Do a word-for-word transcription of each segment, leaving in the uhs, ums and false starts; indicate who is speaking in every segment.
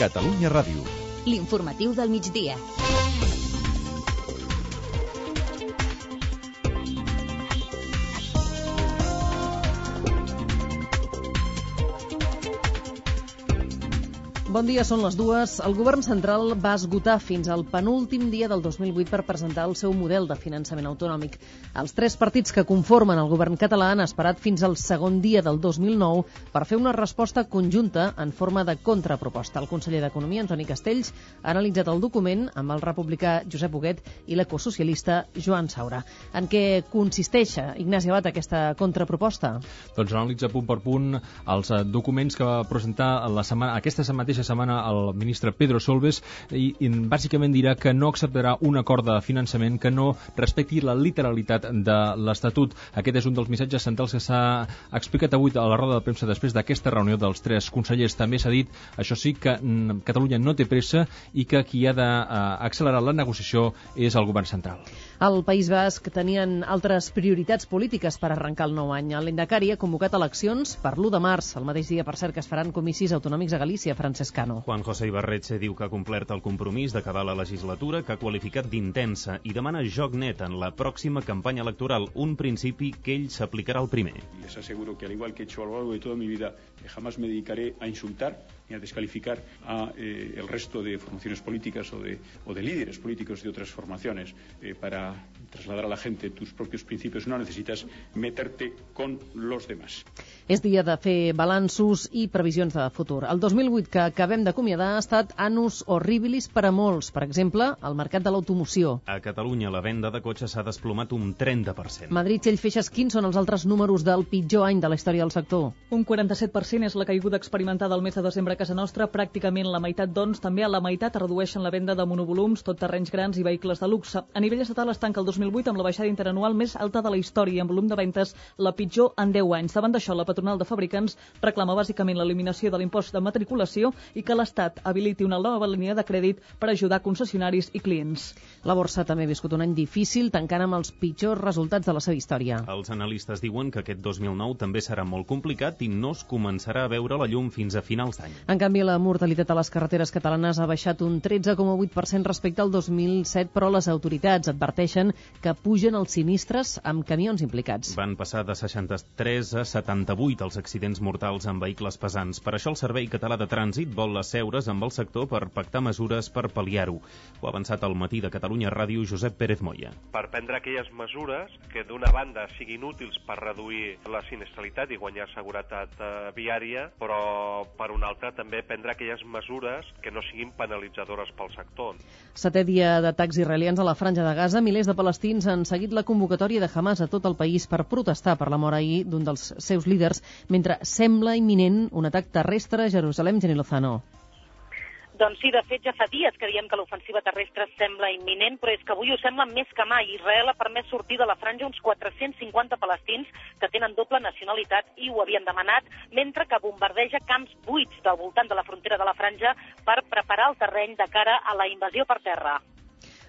Speaker 1: Catalunya Ràdio.
Speaker 2: L'informatiu del migdia.
Speaker 3: Bon dia, són les dues. El govern central va esgotar fins al penúltim dia del dos mil vuit per presentar el seu model de finançament autonòmic. Els tres partits que conformen el govern català han esperat fins al segon dia del dos mil nou per fer una resposta conjunta en forma de contraproposta. El conseller d'Economia, Antoni Castells, ha analitzat el document amb el republicà Josep Huguet i l'ecosocialista Joan Saura. En què consisteix, Ignasi Abad, aquesta contraproposta?
Speaker 4: Doncs analitza punt per punt els documents que va presentar la setmana, aquesta mateixa setmana el ministre Pedro Solbes i, i bàsicament dirà que no acceptarà un acord de finançament que no respecti la literalitat de l'Estatut. Aquest és un dels missatges centrals que s'ha explicat avui a la roda de premsa després d'aquesta reunió dels tres consellers. També s'ha dit, això sí, que mm, Catalunya no té pressa i que qui ha d'accelerar la negociació és el govern central.
Speaker 3: Al País Basc tenien altres prioritats polítiques per arrencar el nou any. L'Endacari ha convocat eleccions per l'u de març, el mateix dia, per cert, que es faran comicis autonòmics a Galícia. Francesc Cano.
Speaker 5: Juan José Ibarretxe diu que ha complert el compromís d'acabar la legislatura, que ha qualificat d'intensa i demana joc net en la pròxima campanya electoral, un principi que ell s'aplicarà al primer.
Speaker 6: Les aseguro que al igual que he hecho a lo largo de toda mi vida, jamás me dedicaré a insultar ni a descalificar a eh, el resto de formaciones políticas o de, o de líderes políticos de otras formaciones. Eh, para trasladar a la gente tus propios principios no necesitas meterte con los demás.
Speaker 3: És dia de fer balanços i previsions de futur. El dos mil vuit que acabem d'acomiadar ha estat annus horribilis per a molts. Per exemple, el mercat de l'automoció.
Speaker 5: A Catalunya la venda de cotxes s'ha desplomat un trenta per cent.
Speaker 3: Madrid, Txell, Feixes, quins són els altres números del pitjor any de la història del sector?
Speaker 7: Un quaranta-set per cent és la caiguda experimentada al mes de desembre a casa nostra, pràcticament la meitat, doncs, també a la meitat es redueixen la venda de monovolums, tot terrenys grans i vehicles de luxe. A nivell estatal es tanca el dos mil vuit amb la baixada interanual més alta de la història i amb volum de ventes la pitjor en deu anys. Davant d'això, la patronal de fabricants reclama bàsicament l'eliminació de l'impost de matriculació i que l'Estat habiliti una nova línia de crèdit per ajudar concessionaris i clients.
Speaker 3: La borsa també ha viscut un any difícil, tancant amb els pitjors resultats de la seva història.
Speaker 5: Els analistes diuen que aquest dos mil nou també serà molt complicat i no es començarà a veure la llum fins a finals d'any.
Speaker 3: En canvi, la mortalitat a les carreteres catalanes ha baixat un tretze coma vuit per cent respecte al dos mil set, però les autoritats adverteixen que pugen els sinistres amb camions implicats.
Speaker 5: Van passar de seixanta-tres a setanta-vuit els accidents mortals amb vehicles pesants. Per això el Servei Català de Trànsit vol asseure's amb el sector per pactar mesures per pal·liar-ho. Ho ha avançat al matí de Catalunya Ràdio Josep Pérez Moya.
Speaker 8: Per prendre aquelles mesures que d'una banda siguin útils per reduir la sinistralitat i guanyar seguretat eh, viària, però per una altra també prendre aquelles mesures que no siguin penalitzadores pel sector.
Speaker 3: Setè dia d'atacs israelians a la Franja de Gaza, milers de palestins han seguit la convocatòria de Hamas a tot el país per protestar per la mort ahir d'un dels seus líders, mentre sembla imminent un atac terrestre a Jerusalem. Jenny Lozano.
Speaker 9: Doncs sí, de fet ja fa dies que diem que l'ofensiva terrestre sembla imminent, però és que avui ho sembla més que mai. Israel ha permès sortir de la franja uns quatre-cents cinquanta palestins que tenen doble nacionalitat i ho havien demanat, mentre que bombardeja camps buits del voltant de la frontera de la franja per preparar el terreny de cara a la invasió per terra.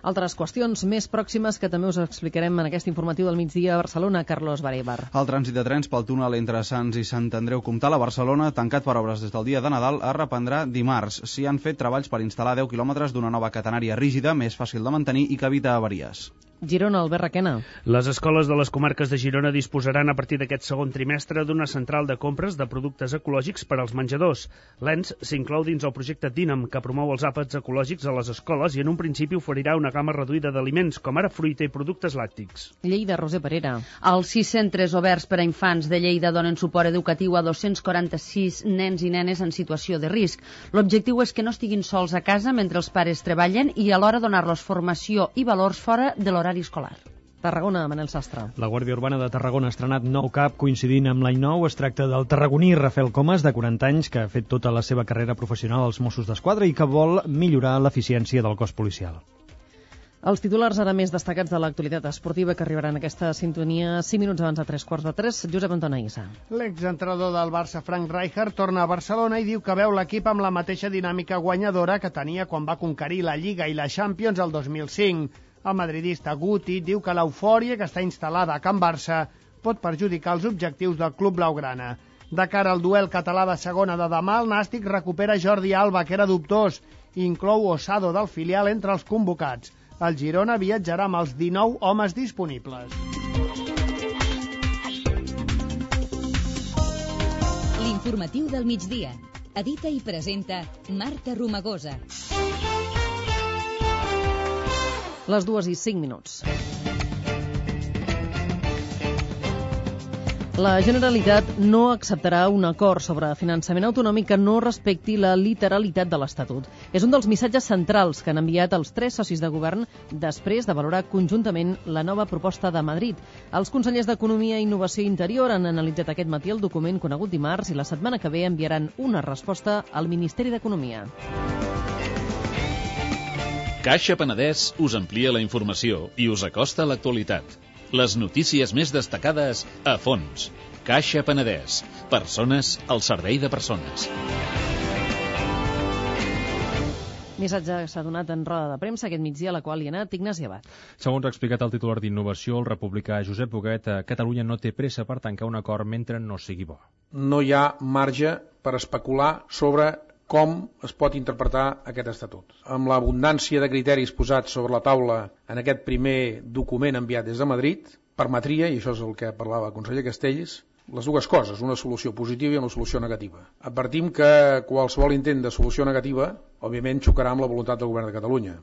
Speaker 3: Altres qüestions més pròximes que també us explicarem en aquest informatiu del migdia a Barcelona. Carlos Barévar.
Speaker 10: El trànsit de trens pel túnel entre Sants i Sant Andreu Comtal a Barcelona, tancat per obres des del dia de Nadal, es reprendrà dimarts. S'hi han fet treballs per instal·lar deu quilòmetres d'una nova catenària rígida, més fàcil de mantenir i que evita avaries.
Speaker 3: Girona, Albert Requena.
Speaker 11: Les escoles de les comarques de Girona disposaran a partir d'aquest segon trimestre d'una central de compres de productes ecològics per als menjadors. L'E N S s'inclou dins el projecte Dinam, que promou els àpats ecològics a les escoles i en un principi oferirà una gamma reduïda d'aliments, com ara fruita i productes làctics.
Speaker 3: Lleida, Roser Parera.
Speaker 12: Els sis centres oberts per a infants de Lleida donen suport educatiu a dos-cents quaranta-sis nens i nenes en situació de risc. L'objectiu és que no estiguin sols a casa mentre els pares treballen i alhora donar-los formació i valors fora de l'horari escolar.
Speaker 3: Tarragona, Manel Sastre.
Speaker 13: La Guàrdia Urbana de Tarragona ha estrenat nou cap coincidint amb l'any nou. Es tracta del tarragoní Rafael Comas, de quaranta anys, que ha fet tota la seva carrera professional als Mossos d'Esquadra i que vol millorar l'eficiència del cos policial.
Speaker 3: Els titulars ara més destacats de l'actualitat esportiva que arribaran a aquesta sintonia cinc minuts abans de tres quarts de tres. Josep Antoni Issa.
Speaker 14: L'exentrenador del Barça, Frank Rijkaard, torna a Barcelona i diu que veu l'equip amb la mateixa dinàmica guanyadora que tenia quan va conquerir la Lliga i la Champions el dos mil cinc. El madridista Guti diu que l'eufòria que està instal·lada a Can Barça pot perjudicar els objectius del club blaugrana. De cara al duel català de segona de demà, el Nàstic recupera Jordi Alba, que era dubtós, i inclou Osado del filial entre els convocats. El Girona viatjarà amb els dinou homes disponibles.
Speaker 2: L'informatiu del migdia. Edita i presenta Marta Romagosa.
Speaker 3: Les dues i cinc minuts. La Generalitat no acceptarà un acord sobre finançament autonòmic que no respecti la literalitat de l'Estatut. És un dels missatges centrals que han enviat els tres socis de govern després de valorar conjuntament la nova proposta de Madrid. Els consellers d'Economia, Innovació i Interior han analitzat aquest matí el document conegut dimarts i la setmana que ve enviaran una resposta al Ministeri d'Economia.
Speaker 1: Caixa Penedès us amplia la informació i us acosta a l'actualitat. Les notícies més destacades a fons. Caixa Penedès. Persones al servei de persones.
Speaker 3: Missatge s'ha donat en roda de premsa aquest migdia, a la qual hi ha anat Ignasi Abad.
Speaker 4: Segons ha explicat el titular d'Innovació, el republicà Josep Boguet, Catalunya no té pressa per tancar un acord mentre no sigui bo.
Speaker 15: No hi ha marge per especular sobre com es pot interpretar aquest estatut. Amb l'abundància de criteris posats sobre la taula en aquest primer document enviat des de Madrid, permetria, i això és el que parlava el conseller Castells, les dues coses, una solució positiva i una solució negativa. Advertim que qualsevol intent de solució negativa, òbviament, xocarà amb la voluntat del govern de Catalunya.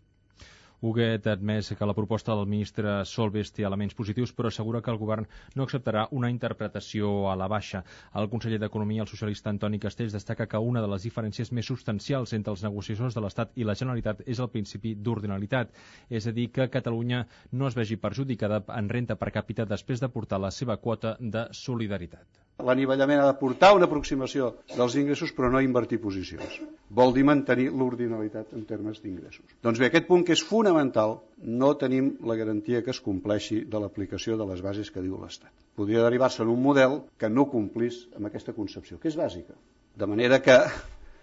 Speaker 4: Huguet ha admès que la proposta del ministre Solbes té elements positius, però assegura que el govern no acceptarà una interpretació a la baixa. El conseller d'Economia, el socialista Antoni Castells, destaca que una de les diferències més substancials entre els negociadors de l'Estat i la Generalitat és el principi d'ordinalitat, és a dir, que Catalunya no es vegi perjudicada en renta per càpita després d'aportar la seva quota de solidaritat.
Speaker 16: L'anivellament ha de portar una aproximació dels ingressos, però no invertir posicions. Vol dir mantenir l'ordinalitat en termes d'ingressos. Doncs bé, aquest punt que és fonamental, no tenim la garantia que es compleixi de l'aplicació de les bases que diu l'Estat. Podria derivar-se en un model que no complís amb aquesta concepció, que és bàsica. De manera que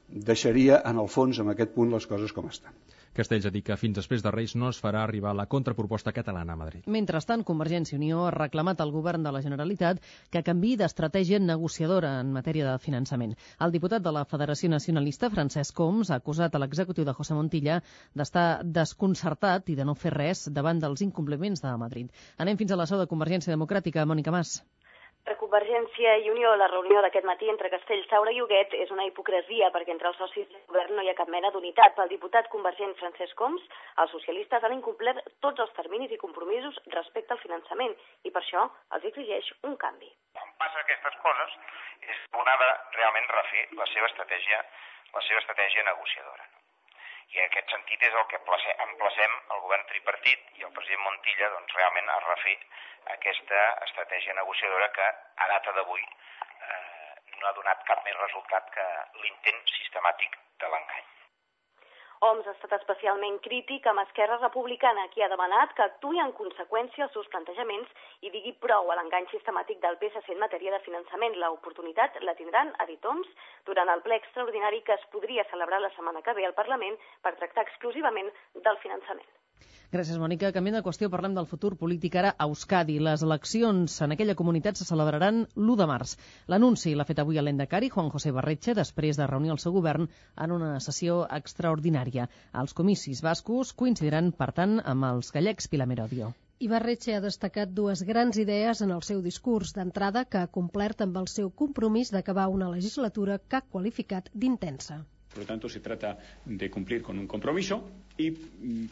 Speaker 16: deixaria, en el fons, amb aquest punt, les coses com estan.
Speaker 4: Castells ha dit que fins després de Reis no es farà arribar la contraproposta catalana a Madrid.
Speaker 3: Mentrestant, Convergència i Unió ha reclamat al govern de la Generalitat que canviï d'estratègia negociadora en matèria de finançament. El diputat de la Federació Nacionalista, Francesc Homs, ha acusat a l'executiu de José Montilla d'estar desconcertat i de no fer res davant dels incompliments de Madrid. Anem fins a la seu de Convergència Democràtica. Mònica Mas.
Speaker 17: Per Convergència i Unió, la reunió d'aquest matí entre Castells, Saura i Huguet és una hipocresia perquè entre els socis del govern no hi ha cap mena d'unitat. Pel diputat convergent Francesc Homs, els socialistes han incomplert tots els terminis i compromisos respecte al finançament i per això els exigeix un canvi.
Speaker 18: Quan passa aquestes coses és on ha de realment refer la seva estratègia, la seva estratègia negociadora. I en aquest sentit és el que emplacem el govern tripartit i el president Montilla doncs, realment a refer aquesta estratègia negociadora que a data d'avui eh, no ha donat cap més resultat que l'intent sistemàtic de l'engany.
Speaker 17: Homs ha estat especialment crític amb Esquerra Republicana, qui ha demanat que actuï en conseqüència als seus plantejaments i digui prou a l'engany sistemàtic del P S C en matèria de finançament. L'oportunitat la tindran, ha dit Homs, durant el ple extraordinari que es podria celebrar la setmana que ve al Parlament per tractar exclusivament del finançament.
Speaker 3: Gràcies, Mònica. Canviant de qüestió, parlem del futur polític ara a Euskadi. Les eleccions en aquella comunitat se celebraran l'u de març. L'anunci l'ha fet avui el lehendakari Juan José Barretxe després de reunir el seu govern en una sessió extraordinària. Els comicis bascos coincidiran, per tant, amb els gallecs Pilar Merodio.
Speaker 19: I Barretxe ha destacat dues grans idees en el seu discurs. D'entrada, que ha complert amb el seu compromís d'acabar una legislatura que ha qualificat d'intensa.
Speaker 6: Por lo tanto, se trata de cumplir con un compromiso y,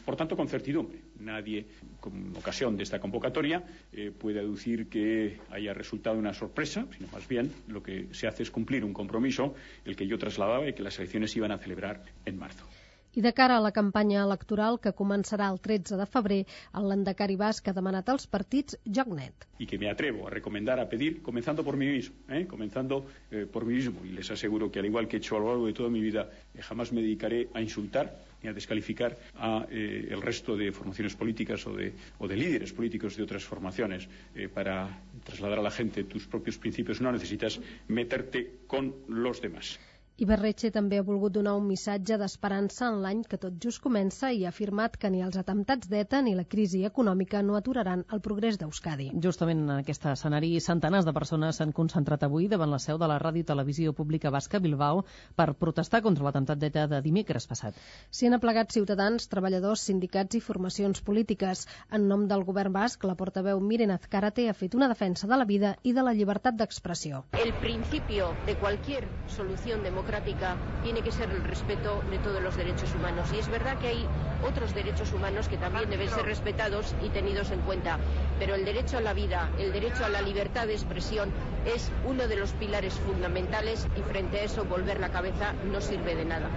Speaker 6: por tanto, con certidumbre. Nadie, con ocasión de esta convocatoria, eh, puede aducir que haya resultado una sorpresa, sino más bien lo que se hace es cumplir un compromiso, el que yo trasladaba, y que las elecciones iban a celebrar en marzo.
Speaker 19: I de cara a la campanya electoral que començarà el tretze de febrer, el lehendakari basc ha demanat als partits joc net.
Speaker 6: Y que me atrevo a recomendar, a pedir, comenzando por mí mismo, ¿eh? comenzando eh, por mí mismo. Y les aseguro que, al igual que he hecho a lo largo de toda mi vida, eh, jamás me dedicaré a insultar ni a descalificar a eh, el resto de formaciones políticas o de, o de líderes políticos de otras formaciones. Eh, para trasladar a la gente tus propios principios no necesitas meterte con los demás.
Speaker 19: Ibarretxe també ha volgut donar un missatge d'esperança en l'any que tot just comença i ha afirmat que ni els atemptats d'ETA ni la crisi econòmica no aturaran el progrés d'Euskadi.
Speaker 3: Justament en aquest escenari, centenars de persones s'han concentrat avui davant la seu de la Ràdio i Televisió Pública Basca Bilbao per protestar contra l'atemptat d'ETA de dimecres passat.
Speaker 19: S'hi han aplegat ciutadans, treballadors, sindicats i formacions polítiques. En nom del govern basc, la portaveu Miren Azcárate ha fet una defensa de la vida i de la llibertat d'expressió.
Speaker 20: El principio de cualquier solución democrática tiene que ser el respeto de todos los derechos humanos. Y es verdad que hay otros derechos humanos que también deben ser respetados y tenidos en cuenta. Pero el derecho a la vida, el derecho a la libertad de expresión es uno de los pilares fundamentales y frente a eso volver la cabeza no sirve de nada.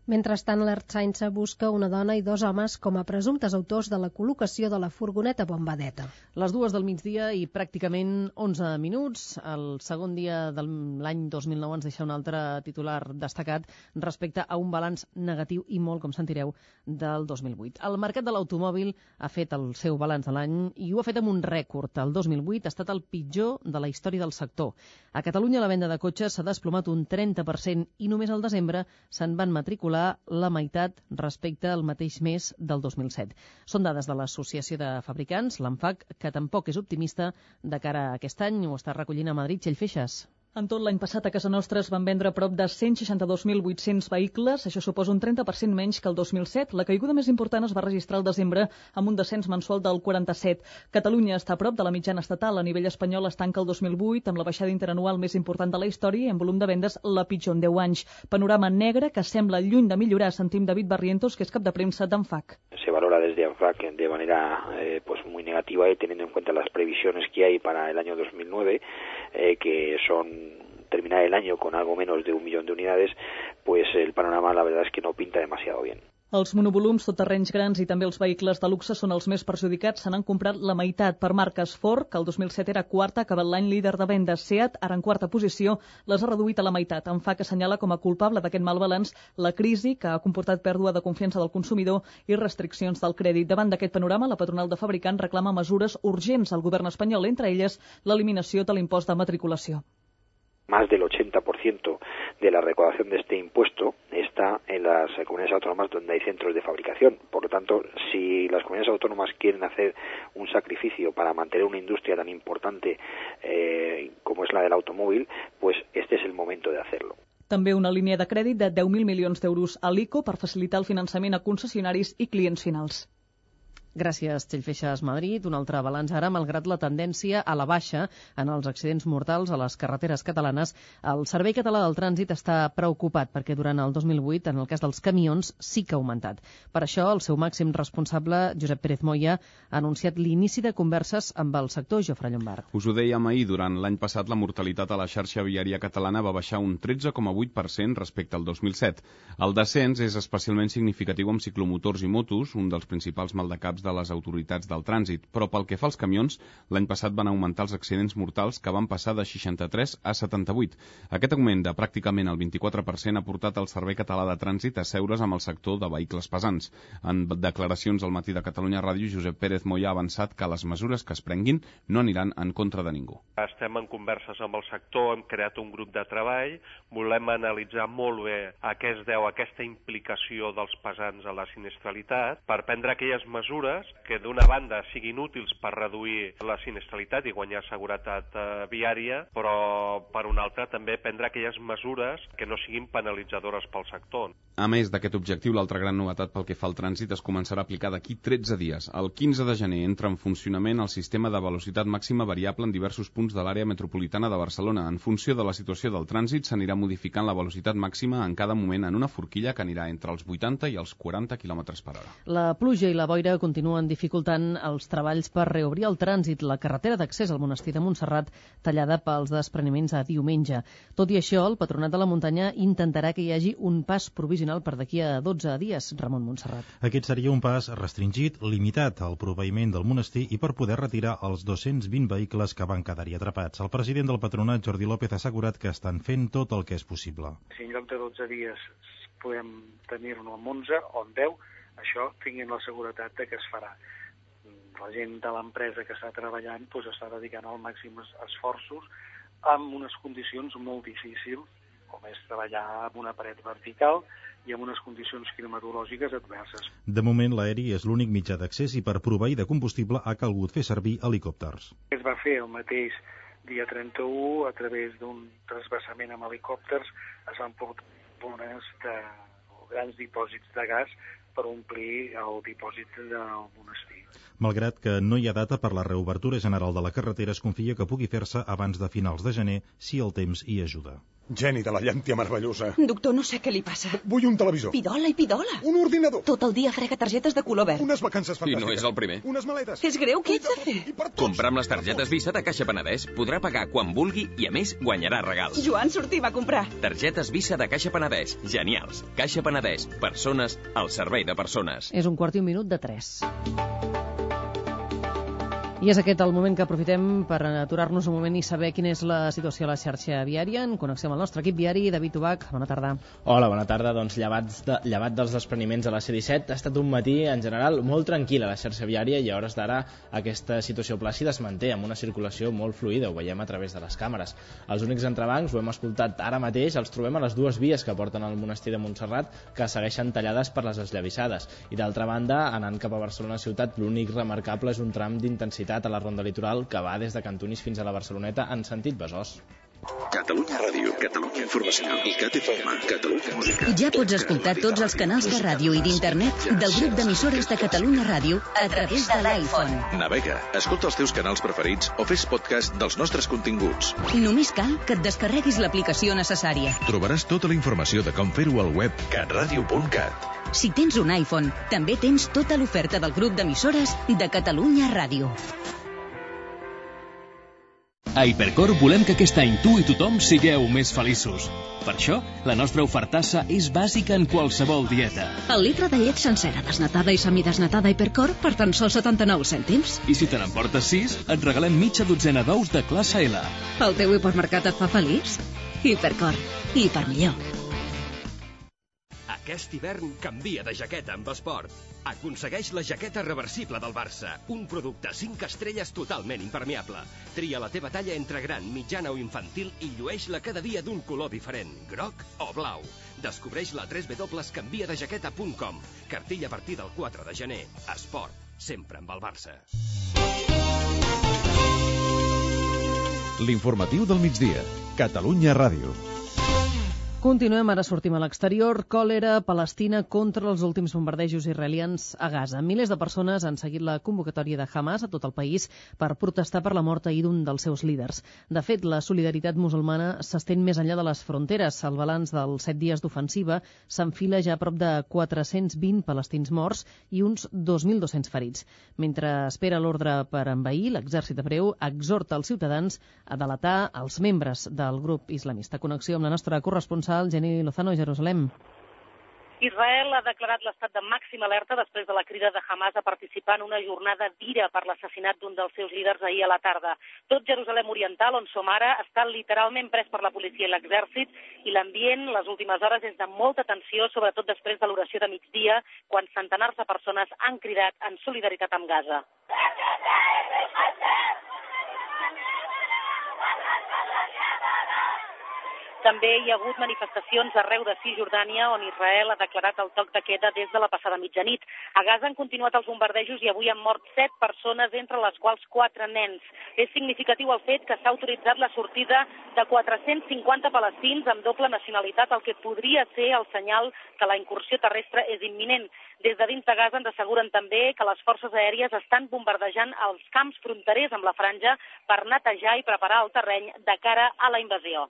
Speaker 19: Mentrestant, l'Ertzaintza busca una dona i dos homes com a presumptes autors de la col·locació de la furgoneta bomba d'ETA.
Speaker 3: Les dues del migdia i pràcticament onze minuts. El segon dia de l'any dos mil nou ens deixa un altre titular destacat respecte a un balanç negatiu i molt, com sentireu, del dos mil vuit. El mercat de l'automòbil ha fet el seu balanç de l'any i ho ha fet amb un rècord. El dos mil vuit ha estat el pitjor de la història del sector. A Catalunya la venda de cotxes s'ha desplomat un trenta per cent i només al desembre se'n van matricular la meitat respecte al mateix mes del dos mil set. Són dades de l'Associació de Fabricants, l'ANFAC, que tampoc és optimista de cara a aquest any. Ho està recollint a Madrid, Txell Feixas.
Speaker 7: En tot l'any passat a casa nostra es van vendre prop de cent seixanta-dos mil vuit-cents vehicles, això suposa un trenta per cent menys que el dos mil set. La caiguda més important es va registrar al desembre amb un descens mensual del quaranta-set. Catalunya està a prop de la mitjana estatal. A nivell espanyol es tanca el dos mil vuit amb la baixada interanual més important de la història i en volum de vendes la pitjor en deu anys. Panorama negre que sembla lluny de millorar, sentim David Barrientos, que és cap de premsa d'ANFAC.
Speaker 21: Se valora desde ANFAC de manera eh, pues muy negativa y teniendo en cuenta las previsiones que hay para el año dos mil nueve, eh, que son terminar el año con algo menos de un millón de unidades, pues el panorama la verdad es que no pinta demasiado bien.
Speaker 7: Els monovolums, tot-terrenys grans i també els vehicles de luxe són els més perjudicats. Se n'han comprat la meitat per marques Ford, que el dos mil set era quarta, ha acabat l'any líder de vendes. Seat, ara en quarta posició, les ha reduït a la meitat. ANFAC assenyala com a culpable d'aquest mal balanç la crisi que ha comportat pèrdua de confiança del consumidor i restriccions del crèdit. Davant d'aquest panorama, la patronal de fabricants reclama mesures urgents al govern espanyol, entre elles l'eliminació de l'impost de matriculació.
Speaker 21: Más del ochenta por ciento de la recaudación de este impuesto está en las comunidades autónomas donde hay centros de fabricación. Por lo tanto, si las comunidades autónomas quieren hacer un sacrificio para mantener una industria tan importante eh, como es la del automóvil, pues este es el momento de hacerlo.
Speaker 7: També una línia de crèdit de deu mil milions d'euros a l'ICO per facilitar el finançament a concessionaris i clients finals.
Speaker 3: Gràcies, Txell Feixas, Madrid. Un altre balanç ara, malgrat la tendència a la baixa en els accidents mortals a les carreteres catalanes. El Servei Català del Trànsit està preocupat perquè durant el dos mil vuit, en el cas dels camions, sí que ha augmentat. Per això, el seu màxim responsable, Josep Pérez Moya, ha anunciat l'inici de converses amb el sector. Jofre Llombard.
Speaker 22: Us ho dèiem ahir, durant l'any passat la mortalitat a la xarxa viària catalana va baixar un tretze coma vuit per cent respecte al dos mil set. El descens és especialment significatiu amb ciclomotors i motos, un dels principals maldecaps de les autoritats del trànsit, però pel que fa als camions, l'any passat van augmentar els accidents mortals que van passar de seixanta-tres a setanta-vuit. Aquest augment de pràcticament el vint-i-quatre per cent ha portat el Servei Català de Trànsit a seure's amb el sector de vehicles pesants. En declaracions al matí de Catalunya Ràdio, Josep Pérez Moya ha avançat que les mesures que es prenguin no aniran en contra de ningú.
Speaker 8: Estem en converses amb el sector, hem creat un grup de treball, volem analitzar molt bé a què es deu aquesta implicació dels pesants a la sinistralitat per prendre aquelles mesures que d'una banda siguin útils per reduir la sinistralitat i guanyar seguretat eh, viària, però per una altra també prendre aquelles mesures que no siguin penalitzadores pel sector.
Speaker 22: A més d'aquest objectiu, l'altra gran novetat pel que fa al trànsit es començarà a aplicar d'aquí tretze dies. El quinze de gener entra en funcionament el sistema de velocitat màxima variable en diversos punts de l'àrea metropolitana de Barcelona. En funció de la situació del trànsit, s'anirà modificant la velocitat màxima en cada moment en una forquilla que anirà entre els vuitanta i els quaranta quilòmetres per hora.
Speaker 3: La pluja i la boira continuen dificultant els treballs per reobrir el trànsit. La carretera d'accés al monestir de Montserrat tallada pels despreniments a diumenge. Tot i això, el Patronat de la Muntanya intentarà que hi hagi un pas provisional per d'aquí a dotze dies. Ramon Montserrat.
Speaker 23: Aquest seria un pas restringit, limitat al proveïment del monestir i per poder retirar els dos-cents vint vehicles que van quedar-hi atrapats. El president del Patronat, Jordi López, ha assegurat que estan fent tot el que és possible.
Speaker 24: Si en lloc de dotze dies podem tenir-ne amb onze o amb deu, això tinguin la seguretat de que es farà. La gent de l'empresa que està treballant doncs, està dedicant al màxim esforços amb unes condicions molt difícils com és treballar amb una paret vertical i amb unes condicions climatològiques adverses.
Speaker 23: De moment, l'aeri és l'únic mitjà d'accés i per proveir de combustible ha calgut fer servir helicòpters.
Speaker 24: Es va fer el mateix dia trenta-u, a través d'un trasbassament amb helicòpters, es van portar bones de grans dipòsits de gas per omplir el dipòsit del monestir.
Speaker 23: Malgrat que no hi ha data per la reobertura general de la carretera, es confia que pugui fer-se abans de finals de gener si el temps hi ajuda.
Speaker 5: Geni de la llàntia meravellosa.
Speaker 9: Doctor, no sé què li passa.
Speaker 5: Vull un televisor.
Speaker 9: Pidola i pidola.
Speaker 5: Un ordinador.
Speaker 9: Tot el dia frega targetes de color verd.
Speaker 5: Unes vacances fantàstiques.
Speaker 10: I no és el primer.
Speaker 5: Unes maletes.
Speaker 9: És greu, què ets de fer?
Speaker 10: Comprar amb les targetes Visa de Caixa Penedès podrà pagar quan vulgui i, a més, guanyarà regals.
Speaker 9: Joan Sortí va comprar.
Speaker 10: Targetes Visa de Caixa Penedès. Genials. Caixa Penedès. Persones al servei de persones.
Speaker 3: És un quart i un minut de tres. I és aquest el moment que aprofitem per aturar-nos un moment i saber quina és la situació a la xarxa viària. En connexió amb el nostre equip viari, David Ubach, bona tarda.
Speaker 11: Hola, bona tarda. Doncs llevat, de, llevat dels despreniments a la C disset, ha estat un matí, en general, molt tranquil a la xarxa viària i a hores d'ara aquesta situació plàcida es manté amb una circulació molt fluida, ho veiem a través de les càmeres. Els únics entrebancs, ho hem escoltat ara mateix, els trobem a les dues vies que porten al monestir de Montserrat, que segueixen tallades per les esllavissades. I d'altra banda, anant cap a Barcelona ciutat, l'únic remarcable és un tram d'intensitat a la ronda litoral que va des de Cantunis fins a la Barceloneta en sentit Besòs.
Speaker 25: Catalunya Ràdio, Catalunya Informació i Cat F M, Catalunya Música.
Speaker 2: Ja pots escoltar tots els canals de ràdio i d'internet del grup d'emissores de Catalunya Ràdio a través de l'iPhone.
Speaker 25: Navega, escolta els teus canals preferits o fes podcast dels nostres continguts.
Speaker 2: Només cal que et descarreguis l'aplicació necessària.
Speaker 25: Trobaràs tota la informació de com fer-ho al web catradio punt cat.
Speaker 2: Si tens un iPhone, també tens tota l'oferta del grup d'emissores de Catalunya Ràdio.
Speaker 26: A Hipercor volem que aquest any tu i tothom sigueu més feliços. Per això, la nostra ofertassa és bàsica en qualsevol dieta.
Speaker 27: El litre de llet sencera desnatada i semidesnatada Hipercor per tan sols setanta-nou cèntims.
Speaker 26: I si te n'emportes sis, et regalem mitja dotzena d'ous de classe L.
Speaker 27: El teu hipermercat et fa feliç? Hipercor. I per millor.
Speaker 28: Aquest hivern canvia de jaqueta amb Esport. Aconsegueix la jaqueta reversible del Barça, un producte cinc estrelles totalment impermeable. Tria la teva talla entre gran, mitjana o infantil i llueix-la cada dia d'un color diferent, groc o blau. Descobreix la w w w punt canvia de jaqueta punt com. Cartell a partir del quatre de gener. Esport, sempre amb el Barça.
Speaker 25: L'informatiu del migdia. Catalunya Ràdio.
Speaker 3: Continuem, ara sortim a l'exterior. Còlera palestina contra els últims bombardejos israelians a Gaza. Milers de persones han seguit la convocatòria de Hamas a tot el país per protestar per la mort ahir d'un dels seus líders. De fet, la solidaritat musulmana s'estén més enllà de les fronteres. El balanç dels set dies d'ofensiva s'enfila ja a prop de quatre-cents vint palestins morts i uns dos mil dos-cents ferits. Mentre espera l'ordre per envair, l'exèrcit hebreu exhorta els ciutadans a delatar els membres del grup islamista. Connexió amb la nostra corresponsal Jenny Lozano, Jerusalem.
Speaker 29: Israel ha declarat l'estat de màxima alerta després de la crida de Hamas a participar en una jornada d'ira per l'assassinat d'un dels seus líders ahir a la tarda. Tot Jerusalem Oriental, on som ara, està literalment pres per la policia i l'exèrcit i l'ambient les últimes hores és de molta tensió, sobretot després de l'oració de migdia, quan centenars de persones han cridat en solidaritat amb Gaza. També hi ha hagut manifestacions arreu de Cisjordània, on Israel ha declarat el toc de queda des de la passada mitjanit. A Gaza han continuat els bombardejos i avui han mort set persones, entre les quals quatre nens. És significatiu el fet que s'ha autoritzat la sortida de quatre-cents cinquanta palestins amb doble nacionalitat, el que podria ser el senyal que la incursió terrestre és imminent. Des de dins de Gaza ens asseguren també que les forces aèries estan bombardejant els camps fronterers amb la franja per netejar i preparar el terreny de cara a la invasió.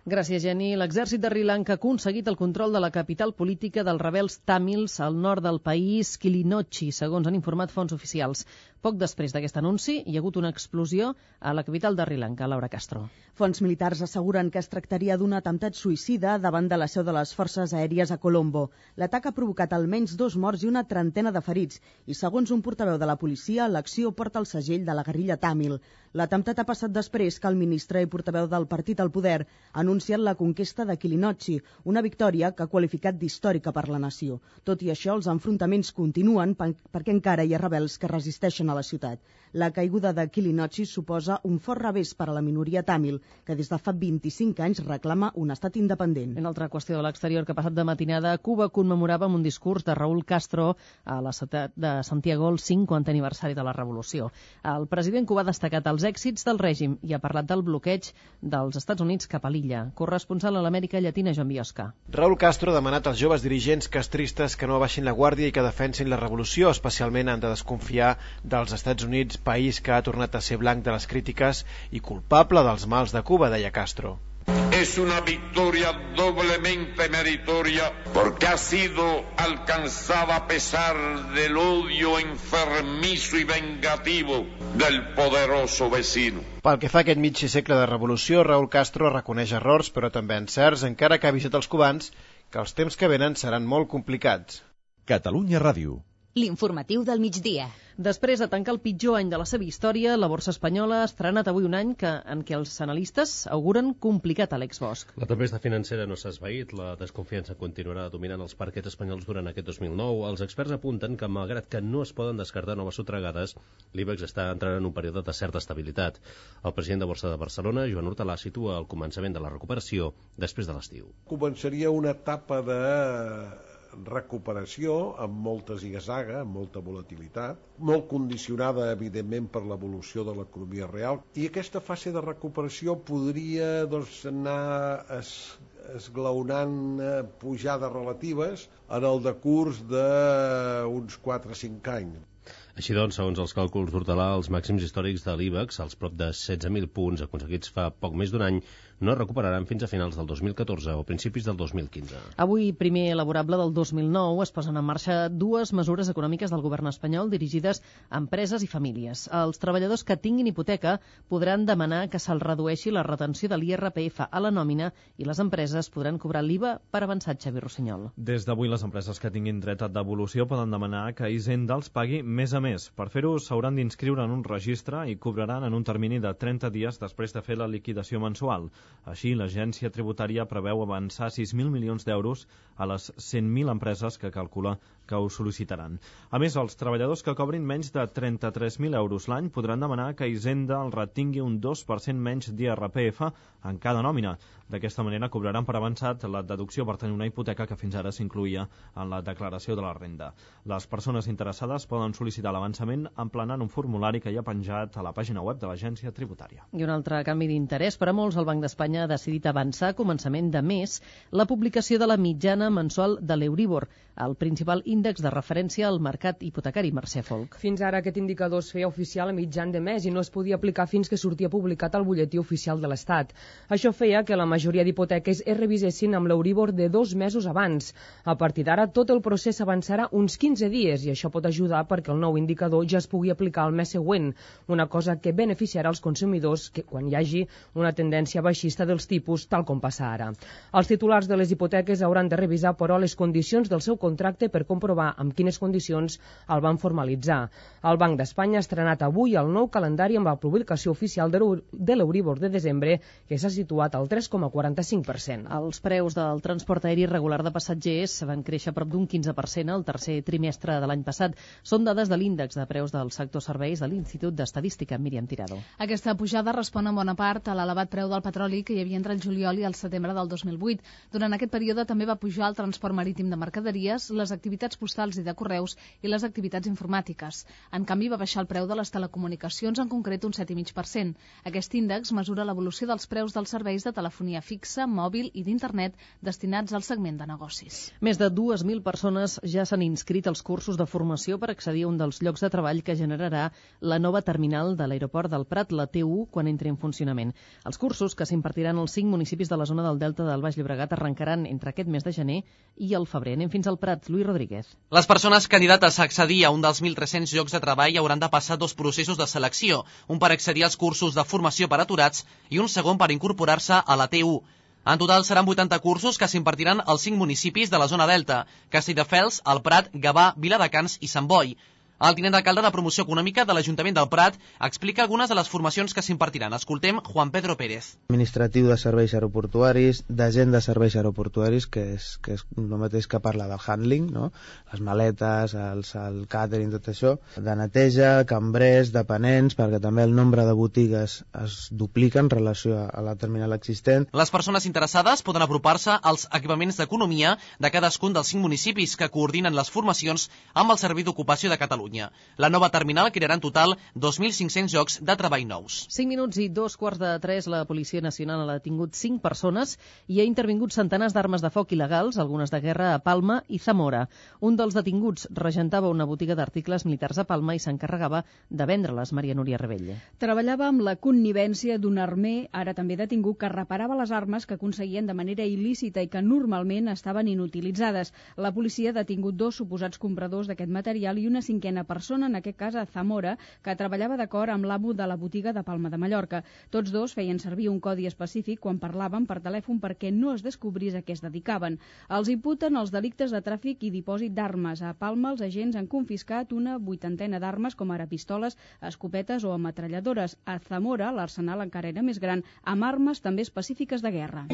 Speaker 3: Gràcies, Jenny. L'exèrcit de Sri Lanka ha aconseguit el control de la capital política dels rebels tàmils al nord del país, Kilinochchi, segons han informat fonts oficials. Poc després d'aquest anunci, hi ha hagut una explosió a la capital de Sri Lanka, Laura Castro.
Speaker 30: Fonts militars asseguren que es tractaria d'un atemptat suïcida davant de la seu de les forces aèries a Colombo. L'atac ha provocat almenys dos morts i una trentena de ferits, i segons un portaveu de la policia, l'acció porta el segell de la guerrilla tàmil. L'atemptat ha passat després que el ministre i portaveu del partit al poder ha anunciat la conquesta de Kilinochchi, una victòria que ha qualificat d'històrica per la nació. Tot i això, els enfrontaments continuen perquè encara hi ha rebels que resisteixen a la ciutat. La caiguda de Kilinochchi suposa un fort revés per a la minoria tàmil, que des de fa vint-i-cinc anys reclama un estat independent.
Speaker 3: En altra qüestió de l'exterior, que ha passat de matinada, Cuba commemorava amb un discurs de Raúl Castro a la ciutat de Santiago el cinquantè aniversari de la Revolució. El president cubà ha destacat els èxits del règim i ha parlat del bloqueig dels Estats Units cap a l'illa. Corresponsal a l'Amèrica Llatina, Joan Biosca.
Speaker 1: Raúl Castro ha demanat als joves dirigents castristes que no abaixin la guàrdia i que defensin la revolució. Especialment han de desconfiar dels Estats Units, país que ha tornat a ser blanc de les crítiques i culpable dels mals de Cuba, deia Castro.
Speaker 4: Es una victoria doblemente meritoria porque ha sido alcanzada a pesar del odio enfermizo y vengativo del poderoso vecino.
Speaker 1: Pel que fa a aquest mig segle de revolució, Raúl Castro reconeix errors, però també encerts, encara que ha avisat els cubans que els temps que venen seran molt complicats.
Speaker 25: Catalunya Ràdio.
Speaker 2: L'informatiu del migdia.
Speaker 3: Després de tancar el pitjor any de la seva història, la borsa espanyola ha estrenat avui un any que, en què els analistes auguren complicat a Àlex Bosch.
Speaker 6: La tempesta financera no s'ha esvaït, la desconfiança continuarà dominant els parquets espanyols durant aquest dos mil nou. Els experts apunten que, malgrat que no es poden descartar noves sotragades, l'IBEX està entrant en un període de certa estabilitat. El president de Borsa de Barcelona, Joan Hortalà, situa el començament de la recuperació després de l'estiu.
Speaker 12: Començaria una etapa de recuperació amb molta ziga-zaga, amb molta volatilitat, molt condicionada evidentment per l'evolució de l'economia real, i aquesta fase de recuperació podria doncs, anar es, esglaonant eh, pujades relatives en el decurs d'uns quatre o cinc anys.
Speaker 6: Així doncs, segons els càlculs d'Hortalà, els màxims històrics de l'IBEX, els prop de setze mil punts aconseguits fa poc més d'un any, no es recuperaran fins a finals del dos mil catorze o principis del dos mil quinze.
Speaker 3: Avui, primer elaborable del dos mil nou, es posen en marxa dues mesures econòmiques del govern espanyol dirigides a empreses i famílies. Els treballadors que tinguin hipoteca podran demanar que se'ls redueixi la retenció de l'I R P F a la nòmina i les empreses podran cobrar l'I V A per avançat. Xavi Rossinyol.
Speaker 13: Des d'avui, les empreses que tinguin dret a devolució poden demanar que Hisenda els pagui més a més. Per fer-ho, s'hauran d'inscriure en un registre i cobraran en un termini de trenta dies després de fer la liquidació mensual. Així, l'agència tributària preveu avançar sis mil milions d'euros a les cent mil empreses que calcula que ho sol·licitaran. A més, els treballadors que cobrin menys de trenta-tres mil euros l'any podran demanar que Hisenda els retingui un dos per cent menys d'I R P F en cada nòmina. D'aquesta manera cobraran per avançat la deducció per tenir una hipoteca que fins ara s'incluïa en la declaració de la renda. Les persones interessades poden sol·licitar l'avançament emplenant un formulari que hi ha penjat a la pàgina web de l'agència tributària.
Speaker 3: I un altre canvi d'interès per a molts, el Banc d'Espanya ha decidit avançar a començament de mes la publicació de la mitjana mensual de l'Euríbor, el principal índex de referència al mercat hipotecari. Mercè Folk.
Speaker 14: Fins ara aquest indicador es feia oficial a mitjan de mes i no es podia aplicar fins que sortia publicat al butlletí oficial de l'Estat. Això feia que la majoria d'hipoteques es revisessin amb l'Euríbor de dos mesos abans. A partir d'ara, tot el procés avançarà uns quinze dies i això pot ajudar perquè el nou indicador ja es pugui aplicar al mes següent, una cosa que beneficiarà els consumidors que quan hi hagi una tendència baixista dels tipus, tal com passa ara. Els titulars de les hipoteques hauran de revisar, però, les condicions del seu contracte per comprovar amb quines condicions el van formalitzar. El Banc d'Espanya ha estrenat avui el nou calendari amb la publicació oficial de l'Euríbor de desembre, que s'ha situat al tres coma quaranta-cinc per cent.
Speaker 3: Els preus del transport aeri regular de passatgers van créixer prop d'un quinze per cent al tercer trimestre de l'any passat. Són dades de l'índex de preus del sector serveis de l'Institut d'Estadística. Míriam Tirado.
Speaker 15: Aquesta pujada respon en bona part a l'elevat preu del petroli que hi havia entre el juliol i el setembre del dos mil vuit. Durant aquest període també va pujar el transport marítim de mercaderies, les activitats postals i de correus i les activitats informàtiques. En canvi, va baixar el preu de les telecomunicacions, en concret un set coma cinc per cent. Aquest índex mesura l'evolució dels preus dels serveis de telefonia fixa, mòbil i d'internet destinats al segment de negocis.
Speaker 3: Més de dues mil persones ja s'han inscrit als cursos de formació per accedir a un dels llocs de treball que generarà la nova terminal de l'aeroport del Prat, la T u, quan entri en funcionament. Els cursos, que s'impartiran als cinc municipis de la zona del Delta del Baix Llobregat, arrencaran entre aquest mes de gener i el febrer. Anem fins al Prat. Lluís Rodríguez.
Speaker 16: Les persones candidates a accedir a un dels mil tres-cents llocs de treball hauran de passar dos processos de selecció, un per accedir als cursos de formació per aturats i un segon per incorporar-se a la T u. En total seran vuitanta cursos que s'impartiran als cinc municipis de la zona Delta: Castelldefels, el Prat, Gavà, Viladecans i Sant Boi. El tinent d'alcalde de Promoció Econòmica de l'Ajuntament del Prat explica algunes de les formacions que s'impartiran. Escoltem Juan Pedro Pérez.
Speaker 7: Administratiu de serveis aeroportuaris, d'agent de serveis aeroportuaris, que és, que és el mateix que parla del handling, no? Les maletes, els, el càtering, tot això, de neteja, cambrers, dependents, perquè també el nombre de botigues es duplica en relació a la terminal existent.
Speaker 16: Les persones interessades poden apropar-se als equipaments d'economia de cadascun dels cinc municipis que coordinen les formacions amb el Servei d'Ocupació de Catalunya. La nova terminal crearà en total dos mil cinc-cents llocs de treball nous.
Speaker 3: cinc minuts i dos quarts de tres, la Policia Nacional ha detingut cinc persones i ha intervingut centenars d'armes de foc il·legals, algunes de guerra a Palma i Zamora. Un dels detinguts regentava una botiga d'articles militars a Palma i s'encarregava de vendre-les. Maria Núria Rebell.
Speaker 8: Treballava amb la connivència d'un armer, ara també detingut, que reparava les armes que aconseguien de manera il·lícita i que normalment estaven inutilitzades. La policia ha detingut dos suposats compradors d'aquest material i una cinquena persona, en aquest cas a Zamora, que treballava d'acord amb l'amo de la botiga de Palma de Mallorca. Tots dos feien servir un codi específic quan parlaven per telèfon perquè no es descobrís a què es dedicaven. Els imputen els delictes de tràfic i dipòsit d'armes. A Palma els agents han confiscat una vuitantena d'armes, com ara pistoles, escopetes o ametralladores. A Zamora l'arsenal encara era més gran, amb armes també específiques de guerra.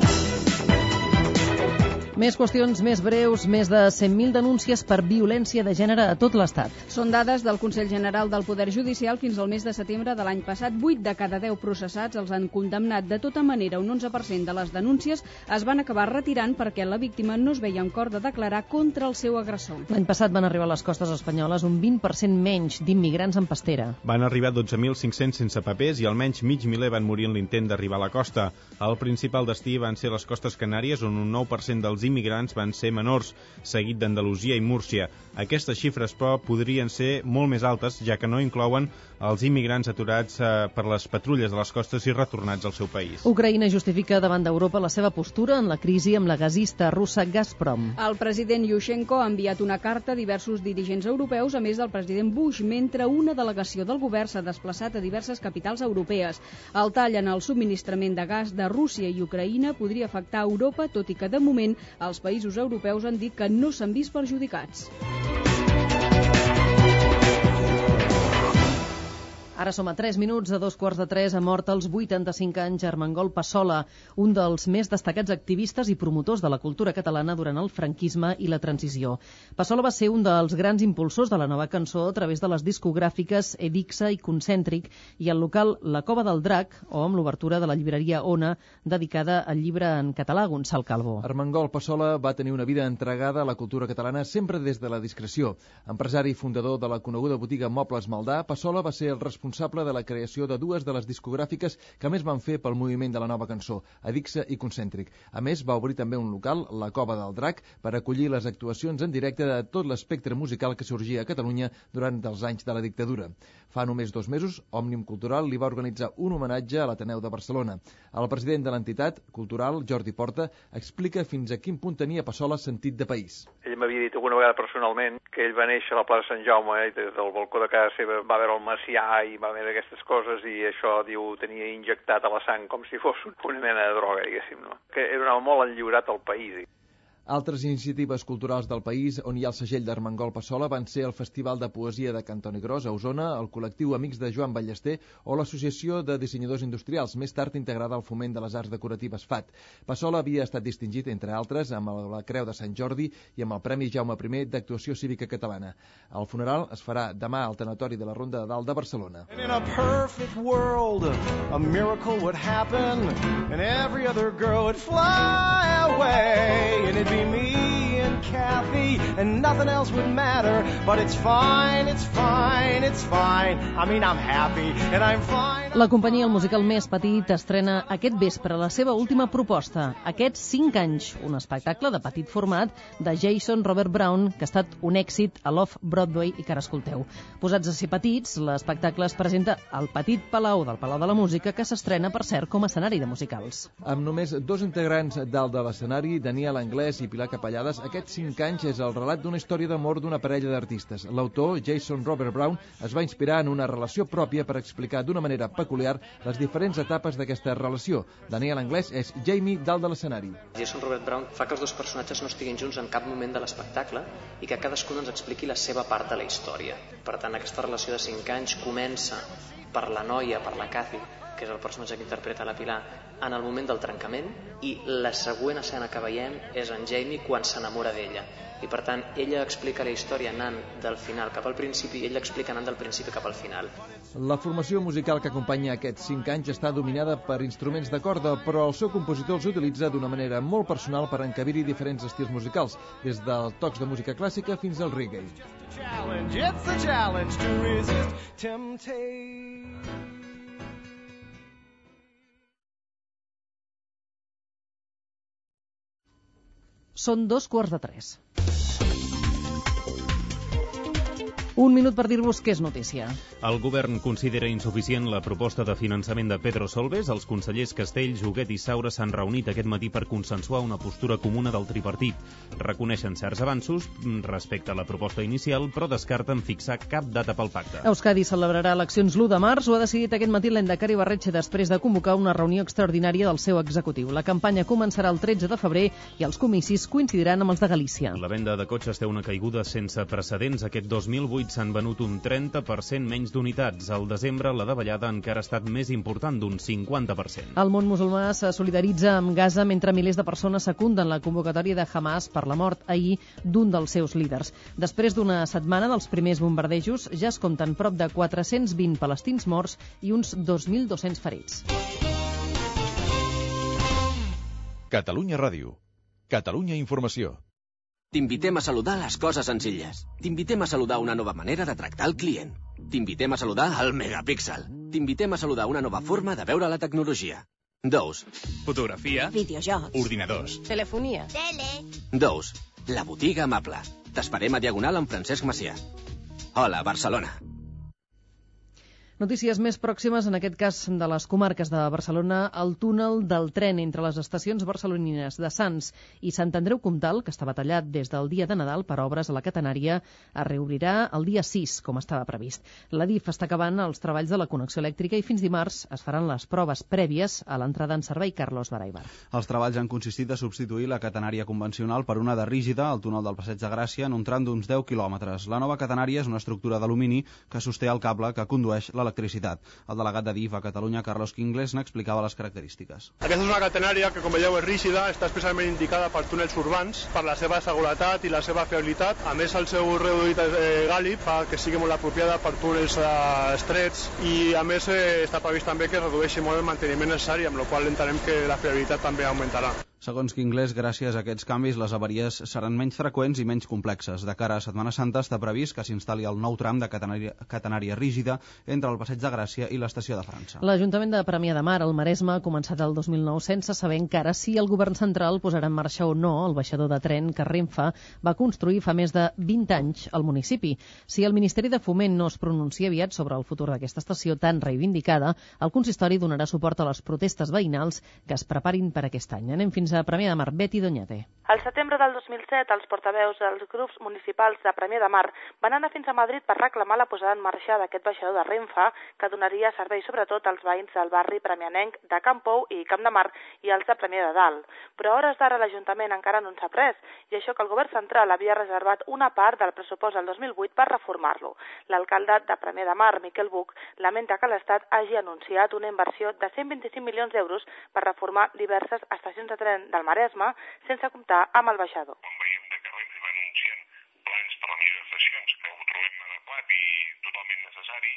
Speaker 3: Més qüestions més breus, més de cent mil denúncies per violència de gènere a tot l'Estat.
Speaker 8: Són dades del Consell General del Poder Judicial fins al mes de setembre de l'any passat. vuit de cada deu processats els han condemnat. De tota manera, un onze per cent de les denúncies es van acabar retirant perquè la víctima no es veia en cor de declarar contra el seu agressor.
Speaker 3: L'any passat van arribar a les costes espanyoles un vint per cent menys d'immigrants en pastera.
Speaker 17: Van arribar dotze mil cinc-cents sense papers i almenys mig miler van morir en l'intent d'arribar a la costa. El principal destí van ser les Costes Canàries, on un nou per cent dels immigrants van ser menors, seguit d'Andalusia i Múrcia. Aquestes xifres, però, podrien ser molt més altes, ja que no inclouen els immigrants aturats eh, per les patrulles de les costes i retornats al seu país.
Speaker 3: Ucraïna justifica davant d'Europa la seva postura en la crisi amb la gasista russa Gazprom.
Speaker 8: El president Yushchenko ha enviat una carta a diversos dirigents europeus, a més del president Bush, mentre una delegació del govern s'ha desplaçat a diverses capitals europees. El tall en el subministrament de gas de Rússia i Ucraïna podria afectar Europa, tot i que, de moment, els països europeus han dit que no s'han vist perjudicats.
Speaker 3: Ara som a tres minuts de dos quarts de tres. Ha mort als vuitanta-cinc anys Armengol Passola, un dels més destacats activistes i promotors de la cultura catalana durant el franquisme i la transició. Passola va ser un dels grans impulsors de la nova cançó a través de les discogràfiques Edixa i Concèntric i el local La Cova del Drac, o amb l'obertura de la llibreria Ona, dedicada al llibre en català. Gonçal Calvo.
Speaker 18: Armengol Passola va tenir una vida entregada a la cultura catalana sempre des de la discreció. Empresari i fundador de la coneguda botiga Mobles Maldà, Passola va ser el responsable responsable de la creació de dues de les discogràfiques que més van fer pel moviment de la nova cançó, Edixa i Concèntric. A més, va obrir també un local, La Cova del Drac, per acollir les actuacions en directe de tot l'espectre musical que sorgia a Catalunya durant els anys de la dictadura. Fa només dos mesos, Òmnium Cultural li va organitzar un homenatge a l'Ateneu de Barcelona. El president de l'entitat cultural, Jordi Porta, explica fins a quin punt tenia Passola sentit de país.
Speaker 19: Ell m'havia dit alguna vegada personalment que ell va néixer a la plaça Sant Jaume i des del balcó de casa seva va veure el Macià i va veure aquestes coses i això, diu, tenia injectat a la sang com si fos una mena de droga, diguéssim, no? Que era un home molt enlliurat al país.
Speaker 18: Altres iniciatives culturals del país on hi ha el segell d'Armengol Passola van ser el Festival de Poesia de Cantoni Gros a Osona, el col·lectiu Amics de Joan Ballester o l'Associació de Dissenyadors Industrials, més tard integrada al Foment de les Arts Decoratives F A T. Passola havia estat distingit, entre altres, amb la Creu de Sant Jordi i amb el Premi Jaume I d'Actuació Cívica Catalana. El funeral es farà demà al Tanatori de la Ronda de Dalt de Barcelona.
Speaker 20: In a perfect world, a miracle would happen and every other girl would fly away and it'd be me and Kathy and nothing else would matter, but it's fine, it's fine, it's fine. I mean, I'm happy and I'm fine.
Speaker 3: La companyia El Musical Més Petit estrena aquest vespre la seva última proposta, Aquests cinc anys, un espectacle de petit format de Jason Robert Brown que ha estat un èxit a l'Off-Broadway i que ara escolteu. Posats a ser petits, l'espectacle es presenta al Petit Palau del Palau de la Música, que s'estrena, per cert, com a escenari de musicals.
Speaker 18: Amb només dos integrants dalt de l'escenari, Daniel Anglès i Pilar Capellades, Aquests cinc anys és el relat relat d'una història d'amor d'una parella d'artistes. L'autor, Jason Robert Brown, es va inspirar en una relació pròpia per explicar d'una manera peculiar les diferents etapes d'aquesta relació. Daniel Anglès és Jamie dalt de l'escenari.
Speaker 5: Jason Robert Brown fa que els dos personatges no estiguin junts en cap moment de l'espectacle i que cadascun ens expliqui la seva part de la història. Per tant, aquesta relació de cinc anys comença per la noia, per la Kathy, que és el personatge que interpreta la Pilar, en el moment del trencament, i la següent escena que veiem és en Jamie quan s'enamora d'ella. I per tant, ella explica la història anant del final cap al principi i ell l'explica anant del principi cap al final.
Speaker 18: La formació musical que acompanya aquests cinc anys està dominada per instruments de corda, però el seu compositor els utilitza d'una manera molt personal per encabir-hi diferents estils musicals, des dels tocs de música clàssica fins al reggae.
Speaker 20: It's a challenge to resist temptation.
Speaker 3: Són dos quarts de tres. Un minut per dir-vos què és notícia.
Speaker 17: El govern considera insuficient la proposta de finançament de Pedro Solbes. Els consellers Castells, Huguet i Saura s'han reunit aquest matí per consensuar una postura comuna del tripartit. Reconeixen certs avanços respecte a la proposta inicial, però descarten fixar cap data pel pacte.
Speaker 3: Euskadi celebrarà eleccions l'u de març. Ho ha decidit aquest matí l'Endacari Barretxe després de convocar una reunió extraordinària del seu executiu. La campanya començarà el tretze de febrer i els comicis coincidiran amb els de Galícia.
Speaker 17: La venda de cotxes té una caiguda sense precedents. Aquest dos mil vuit s'han venut un trenta per cent menys d'unitats. Al desembre, la davallada encara ha estat més important, d'un cinquanta per cent.
Speaker 3: El món musulmà se solidaritza amb Gaza mentre milers de persones secunden la convocatòria de Hamas per la mort ahir d'un dels seus líders. Després d'una setmana dels primers bombardejos, ja es compten prop de quatre-cents vint palestins morts i uns dos mil dos-cents ferits.
Speaker 9: Catalunya Ràdio. Catalunya Informació.
Speaker 28: T'invitem a saludar les coses senzilles. T'invitem a saludar una nova manera de tractar el client. T'invitem a saludar el megapíxel. T'invitem a saludar una nova forma de veure la tecnologia. Dos.
Speaker 10: Fotografia.
Speaker 11: Videojocs.
Speaker 10: Ordinadors.
Speaker 11: Telefonia. Tele.
Speaker 28: Dos. La botiga amable. T'esperem a Diagonal amb Francesc Macià. Hola, Barcelona.
Speaker 3: Notícies més pròximes, en aquest cas de les comarques de Barcelona, el túnel del tren entre les estacions barcelonines de Sants i Sant Andreu Comtal, que estava tallat des del dia de Nadal per obres a la catenària, es reobrirà el dia sis, com estava previst. La D I F està acabant els treballs de la connexió elèctrica i fins dimarts es faran les proves prèvies a l'entrada en servei. Carlos Baraibar.
Speaker 21: Els treballs han consistit a substituir la catenària convencional per una de rígida al túnel del Passeig de Gràcia en un tram d'uns deu quilòmetres. La nova catenària és una estructura d'alumini que sosté el cable que condueix l'electricitat. El delegat de D I F a Catalunya, Carlos Quingles, n'explicava les característiques.
Speaker 22: Aquesta és una catenària que, com veieu, és rígida, està especialment indicada per túnels urbans, per la seva seguretat i la seva fiabilitat. A més, el seu reduït eh, gàlib fa que sigui molt apropiada per túnels eh, estrets i, a més, eh, està previst també que redueixi molt el manteniment necessari, amb la qual entenem que la fiabilitat també augmentarà.
Speaker 21: Segons Quingles, gràcies a aquests canvis, les avaries seran menys freqüents i menys complexes. De cara a Setmana Santa està previst que s'instal·li el nou tram de catenària, catenària rígida entre el Passeig de Gràcia i l'Estació de França.
Speaker 3: L'Ajuntament de Premià de Mar, al Maresme, ha començat el dos mil nou sense saber encara si el govern central posarà en marxa o no el baixador de tren que Renfe va construir fa més de vint anys al municipi. Si el Ministeri de Foment no es pronuncia aviat sobre el futur d'aquesta estació tan reivindicada, el consistori donarà suport a les protestes veïnals que es preparin per aquest any. Anem fins a Premià de Mar. Betty Doñate.
Speaker 23: Al setembre del dos mil set, els portaveus dels grups municipals de Premià de Mar van anar fins a Madrid per reclamar la posada en marxa d'aquest baixador de Renfe, que donaria servei sobretot als veïns del barri premianenc de Camp Pou i Camp de Mar i els de Premià de Dalt. Però a hores d'ara l'Ajuntament encara no en sap res, i això que el govern central havia reservat una part del pressupost del dos mil vuit per reformar-lo. L'alcalde de Premià de Mar, Miquel Buch, lamenta que l'Estat hagi anunciat una inversió de cent vint-i-cinc milions d'euros per reformar diverses estacions de tren del Maresme, sense comptar amb el baixador.
Speaker 24: Quan veiem que Renfe va anunciant plans per a la millora d'estacions, que ho trobem adequat i totalment necessari,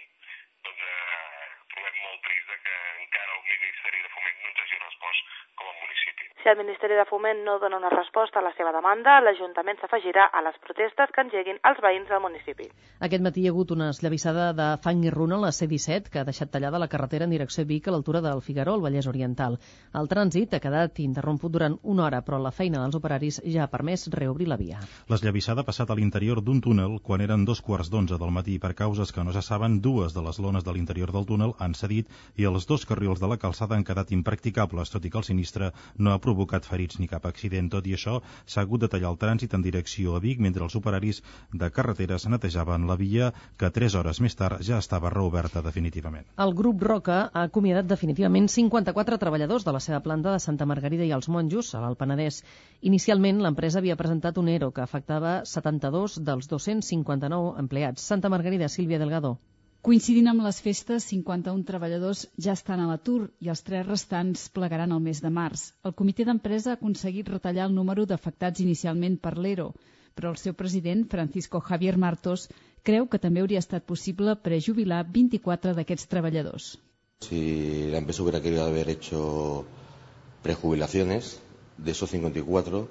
Speaker 24: doncs eh, trobem molt trist que encara el Ministeri de Foment no ens hagi respost com a municipi.
Speaker 23: Si el Ministeri de Foment no dona una resposta a la seva demanda, l'Ajuntament s'afegirà a les protestes que engeguin els veïns del municipi.
Speaker 3: Aquest matí hi ha hagut una esllavissada de fang i runa a la C disset que ha deixat tallada la carretera en direcció a Vic a l'altura del Figaró, al Vallès Oriental. El trànsit ha quedat interromput durant una hora, però la feina dels operaris ja ha permès reobrir la via.
Speaker 26: L'esllavissada ha passat a l'interior d'un túnel quan eren dos quarts d'onze del matí. Per causes que no se saben, dues de les lones de l'interior del túnel han cedit i els dos carrils de la calçada han quedat impracticables, tot i que el sinistre no ha provocat provocat ferits ni cap accident. Tot i això, s'ha hagut de tallar el trànsit en direcció a Vic mentre els operaris de carreteres netejaven la via, que tres hores més tard ja estava reoberta definitivament.
Speaker 3: El grup Roca ha acomiadat definitivament cinquanta-quatre treballadors de la seva planta de Santa Margarida i els Monjos, a l'Alt Penedès. Inicialment, l'empresa havia presentat un ERO que afectava setanta-dos dels dos-cents cinquanta-nou empleats. Santa Margarida, Sílvia Delgado.
Speaker 8: Coincidint amb les festes, cinquanta-un treballadors ja estan a l'atur i els tres restants plegaran el mes de març. El comitè d'empresa ha aconseguit retallar el número d'afectats inicialment per l'ERO, però el seu president, Francisco Javier Martos, creu que també hauria estat possible prejubilar vint-i-quatre d'aquests treballadors.
Speaker 1: Si la empresa hubiera querido haber hecho prejubilaciones, de esos cincuenta y cuatro,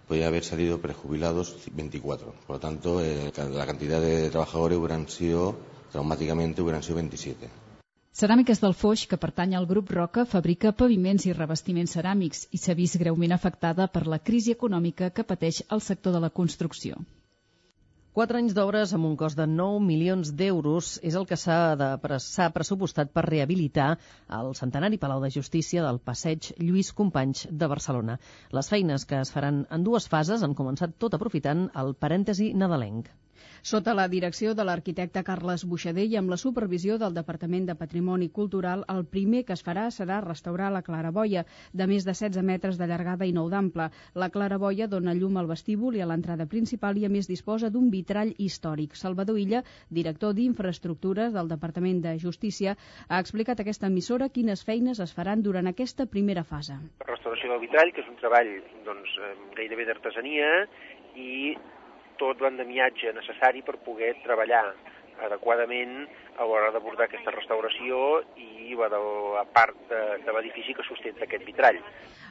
Speaker 1: podría haber salido prejubilados veinticuatro. Por lo tanto, eh, la cantidad de trabajadores hubieran sido, traumáticamente, hubieran sido veintisiete.
Speaker 8: Ceràmiques del Foix, que pertany al grup Roca, fabrica paviments i revestiments ceràmics i s'ha vist greument afectada per la crisi econòmica que pateix el sector de la construcció.
Speaker 3: Quatre anys d'obres amb un cost de nou milions d'euros és el que s'ha de, s'ha pressupostat per rehabilitar el centenari Palau de Justícia del Passeig Lluís Companys de Barcelona. Les feines, que es faran en dues fases, han començat tot aprofitant el parèntesi nadalenc.
Speaker 8: Sota la direcció de l'arquitecte Carles Buixader i amb la supervisió del Departament de Patrimoni Cultural, el primer que es farà serà restaurar la claraboia, de més de setze metres de llargada i nou d'ample. La claraboia dona llum al vestíbul i a l'entrada principal i a més disposa d'un vitrall històric. Salvador Illa, director d'Infraestructures del Departament de Justícia, ha explicat a aquesta emissora quines feines es faran durant aquesta primera fase.
Speaker 2: La restauració del vitrall, que és un treball doncs, gairebé d'artesania, i tot l'endemiatge necessari per poder treballar adequadament a l'hora d'abordar aquesta restauració i la, de la part de, de l'edifici que sustenta aquest vitrall.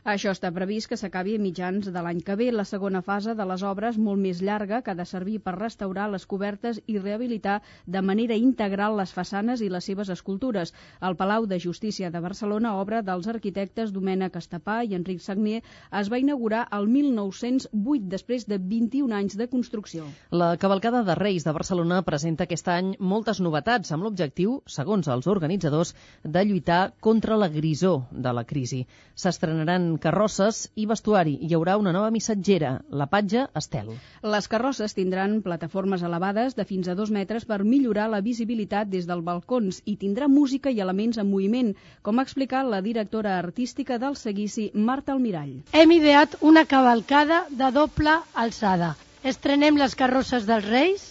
Speaker 8: Això està previst que s'acabi a mitjans de l'any que ve. La segona fase de les obres, molt més llarga, que ha de servir per restaurar les cobertes i rehabilitar de manera integral les façanes i les seves escultures. El Palau de Justícia de Barcelona, obra dels arquitectes Domènec Estapà i Enric Sagnier, es va inaugurar el mil nou-cents vuit, després de vint-i-un anys de construcció.
Speaker 3: La cavalcada de Reis de Barcelona presenta aquest any moltes novetats, amb l'objectiu, segons els organitzadors, de lluitar contra la grisor de la crisi. S'estrenaran carrosses i vestuari. Hi haurà una nova missatgera, la Patge Estel.
Speaker 8: Les carrosses tindran plataformes elevades de fins a dos metres per millorar la visibilitat des dels balcons i tindrà música i elements en moviment, com ha explicat la directora artística del seguici, Marta Almirall.
Speaker 4: Hem ideat una cavalcada de doble alçada. Estrenem les carrosses dels Reis.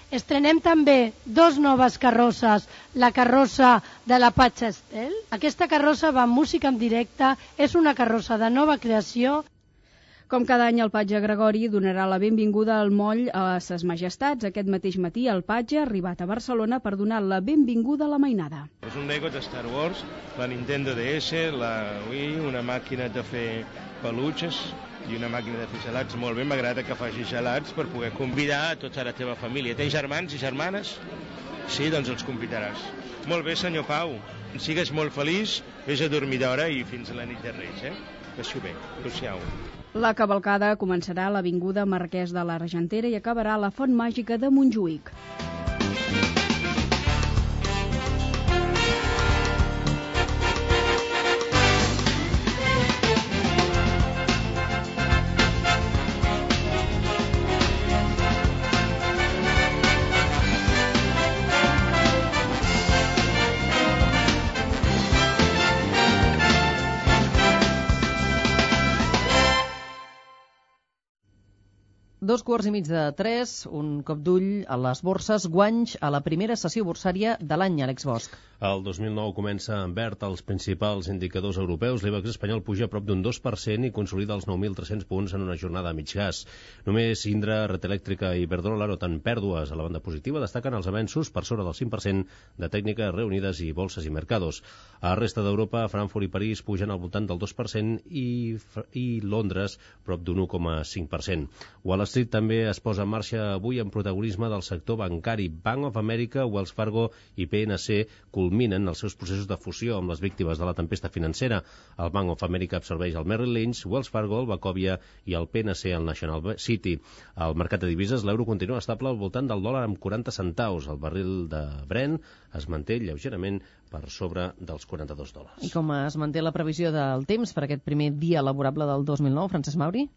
Speaker 4: Estrenem també dos noves carrosses, la carrossa de la Patge Estel. Aquesta carrossa va amb música en directe, és una carrossa de nova creació.
Speaker 8: Com cada any, el Patge Gregori donarà la benvinguda al moll a ses majestats. Aquest mateix matí, el Patge ha arribat a Barcelona per donar la benvinguda a la mainada.
Speaker 10: És un Lego de Star Wars, la Nintendo D S, la Wii, una màquina de fer peluches i una màquina de fer gelats. Molt bé, m'agrada que faci gelats per poder convidar a tota la teva família. Tens germans i germanes? Sí, doncs els convidaràs. Molt bé, senyor Pau. Sigues molt feliç, vés a dormir d'hora i fins a la nit de Reis, eh? Passi-ho bé. Adéu-siau.
Speaker 8: La cavalcada començarà a l'avinguda Marquès de l'Argentera i acabarà a la Font Màgica de Montjuïc.
Speaker 3: Dos quarts i mig de tres, un cop d'ull a les borses, guanys a la primera sessió borsària de l'any, Àlex Bosch.
Speaker 6: El dos mil nou comença en verd als principals indicadors europeus. L'Ibex espanyol puja a prop d'un dos per cent i consolida els nou mil tres-cents punts en una jornada a mig gas. Només Indra, Red Eléctrica i Iberdrola noten pèrdues. A la banda positiva destaquen els avenços per sobre del cinc per cent de Tècniques Reunides i Bolses i Mercados. A la resta d'Europa, Frankfurt i París pugen al voltant del dos per cent i, i Londres prop d'un u coma cinc per cent. Wall Street també es posa en marxa avui en protagonisme del sector bancari. Bank of America, Wells Fargo i P N C culminen els seus processos de fusió amb les víctimes de la tempesta financera. El Bank of America absorbeix el Merrill Lynch, Wells Fargo, el Wachovia i el P N C, el National City. Al mercat de divises, l'euro continua estable al voltant del dòlar amb quaranta centaus. El barril de Brent es manté lleugerament per sobre dels quaranta-dos dòlars.
Speaker 3: I com es manté la previsió del temps per aquest primer dia laborable del dos mil nou, Francesc Mauri?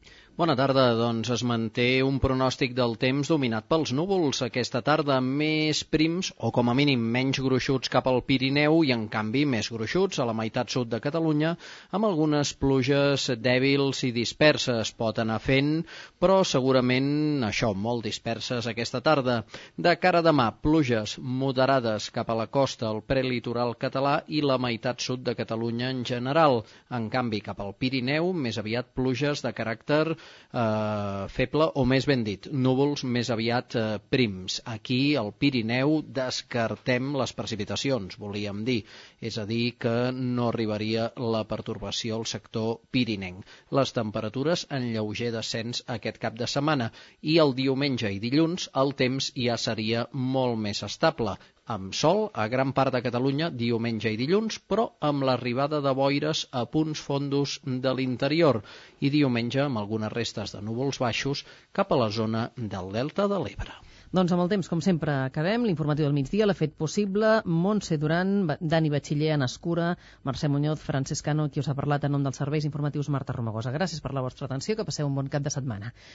Speaker 7: Bona tarda, doncs es manté un pronòstic del temps dominat pels núvols. Aquesta tarda més prims, o com a mínim menys gruixuts cap al Pirineu i en canvi més gruixuts a la meitat sud de Catalunya, amb algunes pluges dèbils i disperses. Pot anar fent, però segurament això, molt disperses aquesta tarda. De cara a demà, pluges moderades cap a la costa, al prelitoral català i la meitat sud de Catalunya en general. En canvi, cap al Pirineu, més aviat pluges de caràcter eh, feble, o més ben dit, núvols més aviat eh, prims. Aquí, al Pirineu, descartem les precipitacions, volíem dir. És a dir, que no arribaria la pertorbació al sector pirinenc. Les temperatures en lleuger descens aquest cap de setmana i el diumenge i dilluns el temps ja seria molt més estable, amb sol a gran part de Catalunya diumenge i dilluns, però amb l'arribada de boires a punts fondos de l'interior i diumenge amb algunes restes de núvols baixos cap a la zona del Delta de l'Ebre.
Speaker 3: Doncs amb el temps, com sempre, acabem. L'informatiu del migdia l'ha fet possible Montse Duran, Dani Batxiller, Anna Escura, Mercè Muñoz, Francesc Cano, qui us ha parlat en nom dels serveis informatius Marta Romagosa. Gràcies per la vostra atenció, que passeu un bon cap de setmana.